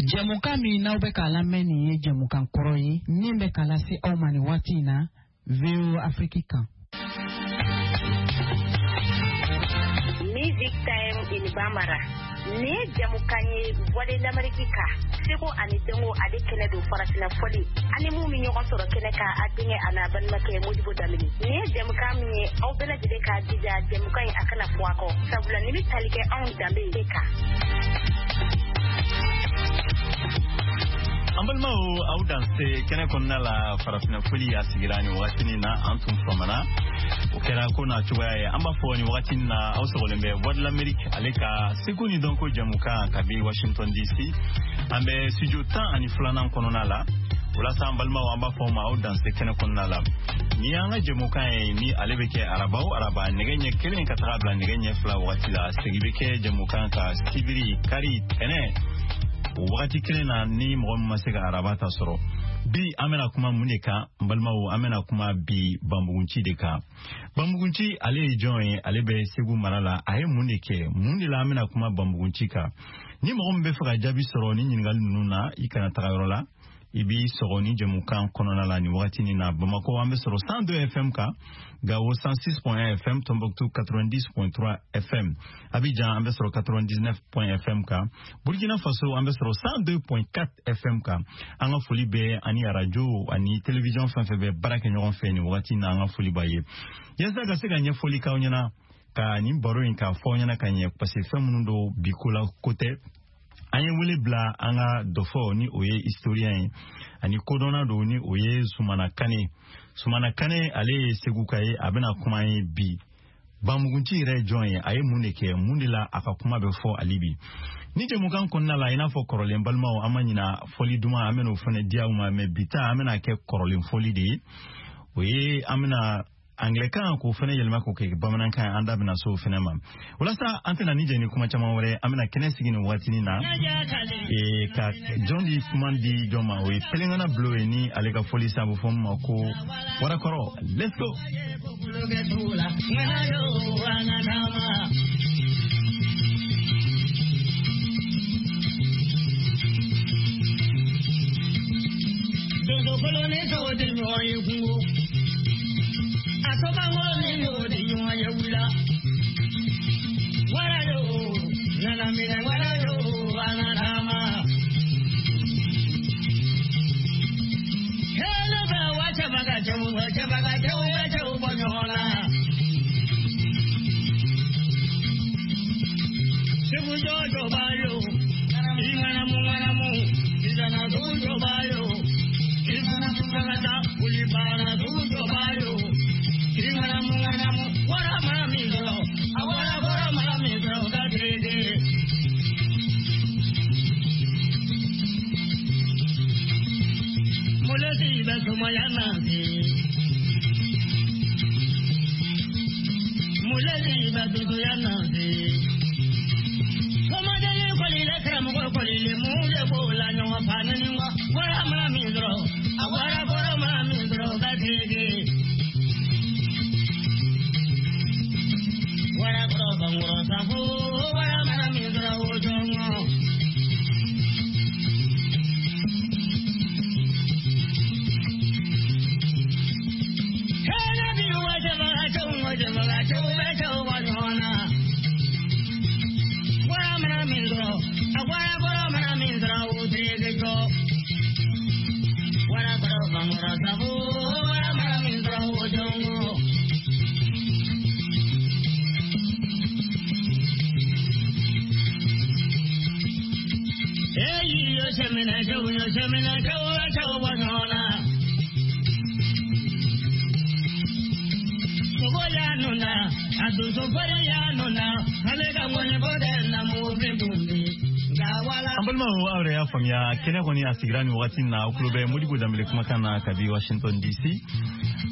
Jɛmukan min n'aw bɛ k'a lamɛn nin ye jɛmukan kɔrɔ ye min bɛ k'a lase aw ma nin waati in na VOA Afrique kan. Music Time in Bambara. Nin ye jɛmukan ye Voix de l'Amérique kan seko ani dɔnko ale kɛnɛ don farafinna fɔli ani mun bɛ ɲɔgɔn sɔrɔ kɛnɛ kan a denkɛ a n'a balimakɛ Modibo Danbele nin ye jɛmukan min ye aw bɛɛ lajɛlen k'a jija jɛmukan in a kana fɔ a kɔ sabula nin bɛ tali kɛ anw danbe de kan. An balimaw aw danse kɛnɛ kɔnɔna la farafinna foli a sigira nin wagatinin na an tun famana o kɛra ko n'a cogoya ye an b'a fɔ nin wagatinin na aw sɔgɔlen bɛ Voix de l'Amérique ale ka seko ni dɔnko jɛmukan kabi Washington DC an bɛ studio 12nan kɔnɔna la o la sa an balimaw an b'a fɔ aw ma aw danse kɛnɛ kɔnɔna la ni y'an ka jɛmukan ye ni ale bɛ kɛ araba o araba nɛgɛ ɲɛ 1 ka taga bila nɛgɛ ɲɛ 2 wagati la segin bɛ kɛ jɛmukan kan sibiri kari tɛnɛ o wagati kelen na ni mɔgɔ min ma se ka araba ta sɔrɔ bi an bɛna kuma mun de kan n balimaw an bɛna kuma bi banbugunci de kan banbugunci ale ye jɔn ye ale bɛ segu mara la a ye mun de kɛ mun de la an bɛna kuma banbugunci kan ni mɔgɔ min bɛ fɛ ka jaabi sɔrɔ ni ɲininkali ninnu na i kana taga yɔrɔ la i b'i sɔgɔ ni jɛmukan kɔnɔna la nin wagatinin na bamakɔ an bɛ sɔrɔ 102 fm kan gawo 106.1 fm tombouctou 90.3 fm abidjan an bɛ sɔrɔ 99.1 fm kan burkina faso an bɛ sɔrɔ 102.4 fm kan an ka foli bɛ ani arajo ani télévision fɛn fɛn bɛ baara kɛ ɲɔgɔn fɛ nin wagati na an ka foli b'a ye yaasa ka se ka ɲɛfɔli k'aw ɲɛna ka nin baro in k'a fɔ aw ɲɛna ka ɲɛ parce que fɛn minnu don bi ko la ko tɛ an ye wele bila an ka dɔfɔ ni o ye historien ye ani kodɔnna don ni o ye Sumana Kane Sumana Kane ale ye Seguka ye a bɛna kuma an ye bi banbugunci yɛrɛ ye jɔn ye a ye mun de kɛ mun de la a ka kuma bɛ fɔ ale bi ni jɛmukan kɔnɔna la i n'a fɔ kɔrɔlen balimaw an ma ɲina fɔli duman an bɛn'o fana di aw ma mɛ bi ta an bɛna kɛ kɔrɔlen fɔli de ye o ye an bɛna anglɛkan k'o fana yɛlɛma k'o kɛ bamanankan ye an da bɛna se o fana ma walasa an tɛna ni jɛ ni kuma caman wɛrɛ an bɛna kɛnɛ sigi nin waatinin na ka jɔn di kuma di jɔn ma o ye Pelengana Bulo ye ni ale ka fɔli sa a bɛ fɔ min ma ko Warakɔrɔ let's go. An balimaw aw yɛrɛ y'a faamuya kɛnɛ kɔni a sigira nin wagati na aw tulo bɛ Modibo Danbele kumakan na kabi Washington DC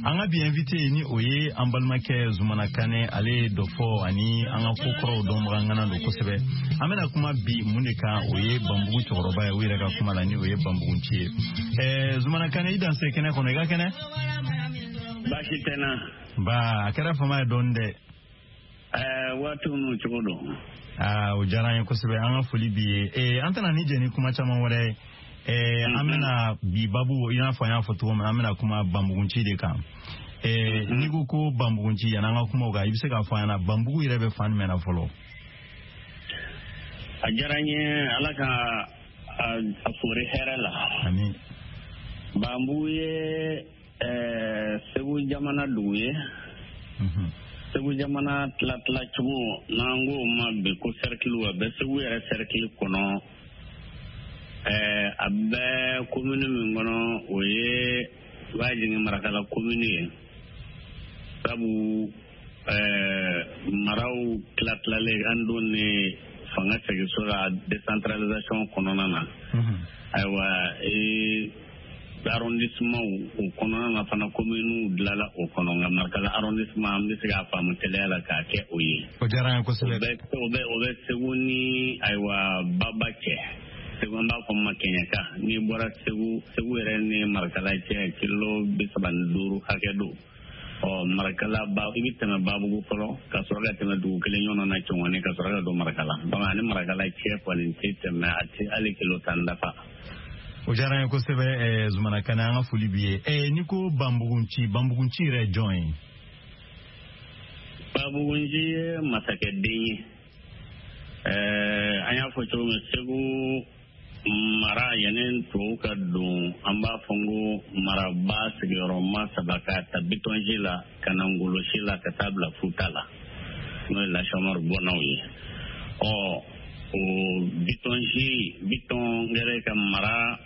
an ka bi invité ni o ye an balimakɛ Zumana Kane ale ye dɔfɔ ani an ka ko kɔrɔw dɔnbaga ŋana don kosɛbɛ an bɛna kuma bi mun de kan o ye banbugu cɛkɔrɔba ye u yɛrɛ ka kuma la ni o ye banbugunci ye Zumana Kane i danse kɛnɛ kɔnɔ i ka kɛnɛ. Baasi tɛ n na. Ba a kɛra fama ye dɔɔni dɛ. Waatiw n'u cogo don. Aa, o diyara an ye kosɛbɛ, an ka foli b'i ye. An tɛna ni jɛ ni kuma caman wɛrɛ ye. An bɛna bi babu, i n'a fɔ an y'a fɔ cogo min na, an bɛna kuma Banbugunci de kan. N'i ko ko Banbugunci, yan'an ka kuma o kan, i bɛ se k'a fɔ an ɲɛna Banbugu yɛrɛ bɛ fan jumɛn na fɔlɔ? A diyara n ye, Ala ka a fori hɛrɛ la. Amin. Banbugu ye Segu jamana dugu ye. Segu jamana tila-tila cogo, n'an k'o ma bi ko cercle, a bɛ Segu yɛrɛ cercle kɔnɔ. A bɛ commune min kɔnɔ, o ye b'a jigin Marakala commune ye. Sabu maraw tila-tilalen an don ni fanga seginso la décentralisation kɔnɔna na. Ayiwa, arrondissement o kɔnɔna na fana, commune dilanla o kɔnɔ, nka Marakala arrondissement, an bɛ se k'a faamu teliya la k'a kɛ o ye. O diyara an ye kosɛbɛ. O bɛ Segu ni, ayiwa, Baba cɛ. Segu, an b'a fɔ ma Kɛɲɛka. N'i bɔra Segu, Segu yɛrɛ ni Marakala cɛ, kilo 35 hakɛ don. Ɔ, Marakala ba, i bɛ tɛmɛ Babugu fɔlɔ, ka sɔrɔ ka tɛmɛ dugu kelen ɲɔgɔn na, Cɔngɔni, ka sɔrɔ ka don Marakala. Donc ani Marakala cɛ kɔni tɛ tɛmɛ, a tɛ hali kilo 10 dafa. O diyara an ye kosɛbɛ, Zumana Kane, an ka foli b'i ye. N'i ko Banbugunci, Banbugunci yɛrɛ ye jɔn ye? Banbugunci ye masakɛden ye. An y'a fɔ cogo min, Segu mara, yanni tubabu ka don, an b'a fɔ ko maraba sigiyɔrɔma saba, ka ta Bitɔnsi la ka na Ngolosi la, ka taa bila Futa la, n'o ye Lasɔmari bɔnnaw ye. Ɔ, o Bitɔnsi, Bitɔn kɛlen ka mara,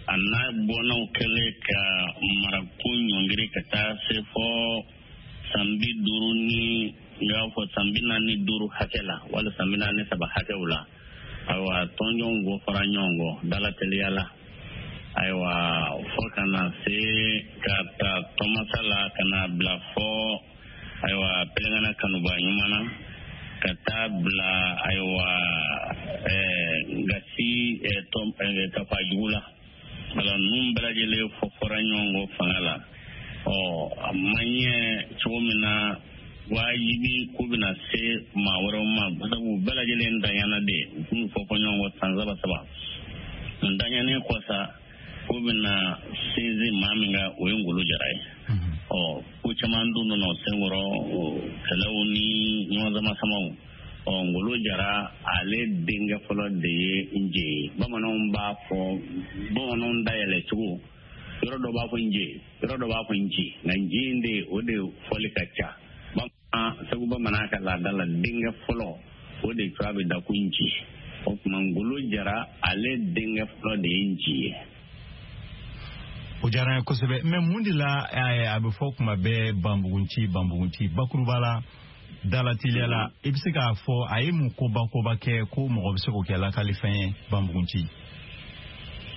a n'a bɔnnaw kɛlen ka marako ɲɔngiri ka taa se fɔ san 50 ni, n y'a fɔ san 45 hakɛ la, wala san 43 hakɛw la. Ayiwa, tɔnjɔnw bɔ fara ɲɔgɔn kɔ dala teliya la. Ayiwa, fo ka na se ka ta Tɔmasa la, ka na bila fɔ, ayiwa, Pelenkana kanuba ɲuman na, ka taa bila, ayiwa, Gasi Kafajugu la. Wala, ninnu bɛɛ lajɛlen fɔ fɔra ɲɔgɔn kɔ fanga la. Ɔ, a ma ɲɛ cogo min na, wajibi ko bɛna se maa wɛrɛw ma, sabu bɛɛ lajɛlen danyana de, u tun fɔ fɔ ɲɔgɔn kɔ san saba saba. N danyanen kɔ sa, ko bɛna sinsin maa min kan, o ye Ngolo Jara ye. Ɔ, ko caman dun nana o senkɔrɔ, kɛlɛw ni ɲɔgɔn sama samaw. Ɔ, Ngolo Jara, ale denkɛ fɔlɔ de ye Nje ye. Bamananw b'a fɔ, bamananw dayɛlɛ cogo, yɔrɔ dɔ b'a fɔ Nje, yɔrɔ dɔ b'a fɔ Nji, nka Nji in de, o de fɔli ka ca. Segu bamanan ka laada la, denkɛ fɔlɔ, o de tɔgɔ bɛ da ko Nji. O tuma, Ngolo Jara, ale denkɛ fɔlɔ de ye Nji ye. O diyara n ye kosɛbɛ. Mais mun de la a bɛ fɔ kuma bɛɛ Banbugunci, Banbugunci? Bakuruba la, dala teliya la, i bɛ se k'a fɔ a ye mun koba koba kɛ ko mɔgɔ bɛ se k'o kɛ lakalifɛn ye, Banbugunci?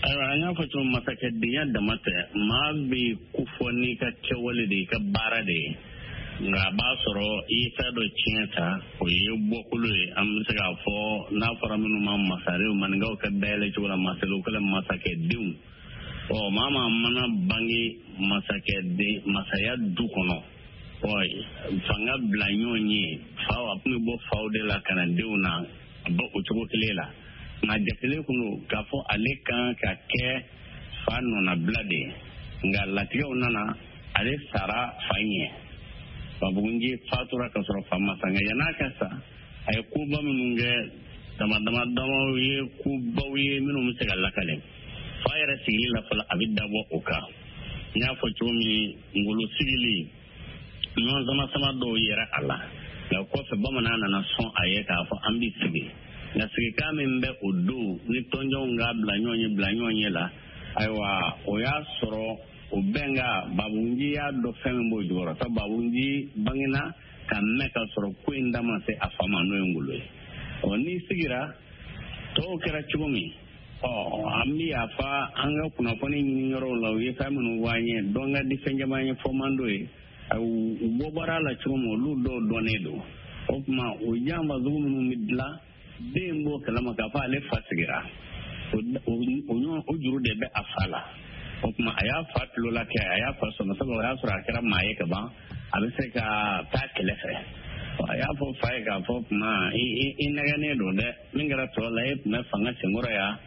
Ayiwa, an y'a fɔ cogo, masakɛdenya dama tɛ. Maa bɛ kofɔ n'i ka kɛwale de ye, i ka baara de ye. Nka a b'a sɔrɔ i ye fɛn dɔ tiɲɛ ta, o ye bɔkolo ye. An bɛ se k'a fɔ, n'a fɔra minnu ma masarew, maninkaw ka dayɛlɛ cogo la, masarew kɛlen masakɛdenw. Ɔ, maa maa mana bange masakɛden masaya du kɔnɔ, ɔ, fanga bila ɲɔgɔn ye, faw, a tun bɛ bɔ faw de la ka na denw na, a bɛ o cogo kelen la. Nka jatelen kun don k'a fɔ ale kan ka kɛ fa nɔnabila de ye. Nka latigɛw nana, ale sara fa ɲɛ. Banbugunci fatura ka sɔrɔ fa ma sa. Nka yann'a ka sa, a ye koba minnu kɛ, dama dama damaw ye, kobaw ye minnu bɛ se ka lakale. Fa yɛrɛ sigili la fɔlɔ, a bɛ dabɔ o kan. N y'a fɔ cogo min, Ngolo sigili, ɲɔgɔn sama sama dɔw yɛrɛ a la. Nka kɔfɛ, bamanan nana sɔn a ye k'a fɔ an bɛ sigi. Nka sigikan min bɛ o don ni tɔnjɔnw k'a bila ɲɔgɔn ye, bila ɲɔgɔn ye la, ayiwa, o y'a sɔrɔ o bɛnka, Babugunji y'a dɔn fɛn min b'o jukɔrɔ. Sabu Babugunji bangena ka mɛn ka sɔrɔ ko in da ma se a fa ma, n'o ye Ngolo ye. Ɔ, n'i sigira, tɔw kɛra cogo min, ɔ, an bɛ yafa an ka kunnafoni ɲini yɔrɔw la, u ye fɛn minnu fɔ an ye, dɔn ka di fɛn caman ye, fɔ man d'o ye. U bɔ baara la cogo min, olu dɔw dɔnnen don. O tuma, o janfa sugu minnu bɛ dilan, den b'o kalama k'a fɔ ale fa sigira, o juru de bɛ a fa la. O tuma, a y'a fa tulo la kɛ, a y'a fa sɔnna, sabu o y'a sɔrɔ a kɛra maa ye ka ban, a bɛ se ka taa kɛlɛ fɛ. A y'a fɔ fa ye k'a fɔ, kuma i nɛgɛnnen don dɛ, min kɛra tɔ la, e tun bɛ fanga senkɔrɔ yan.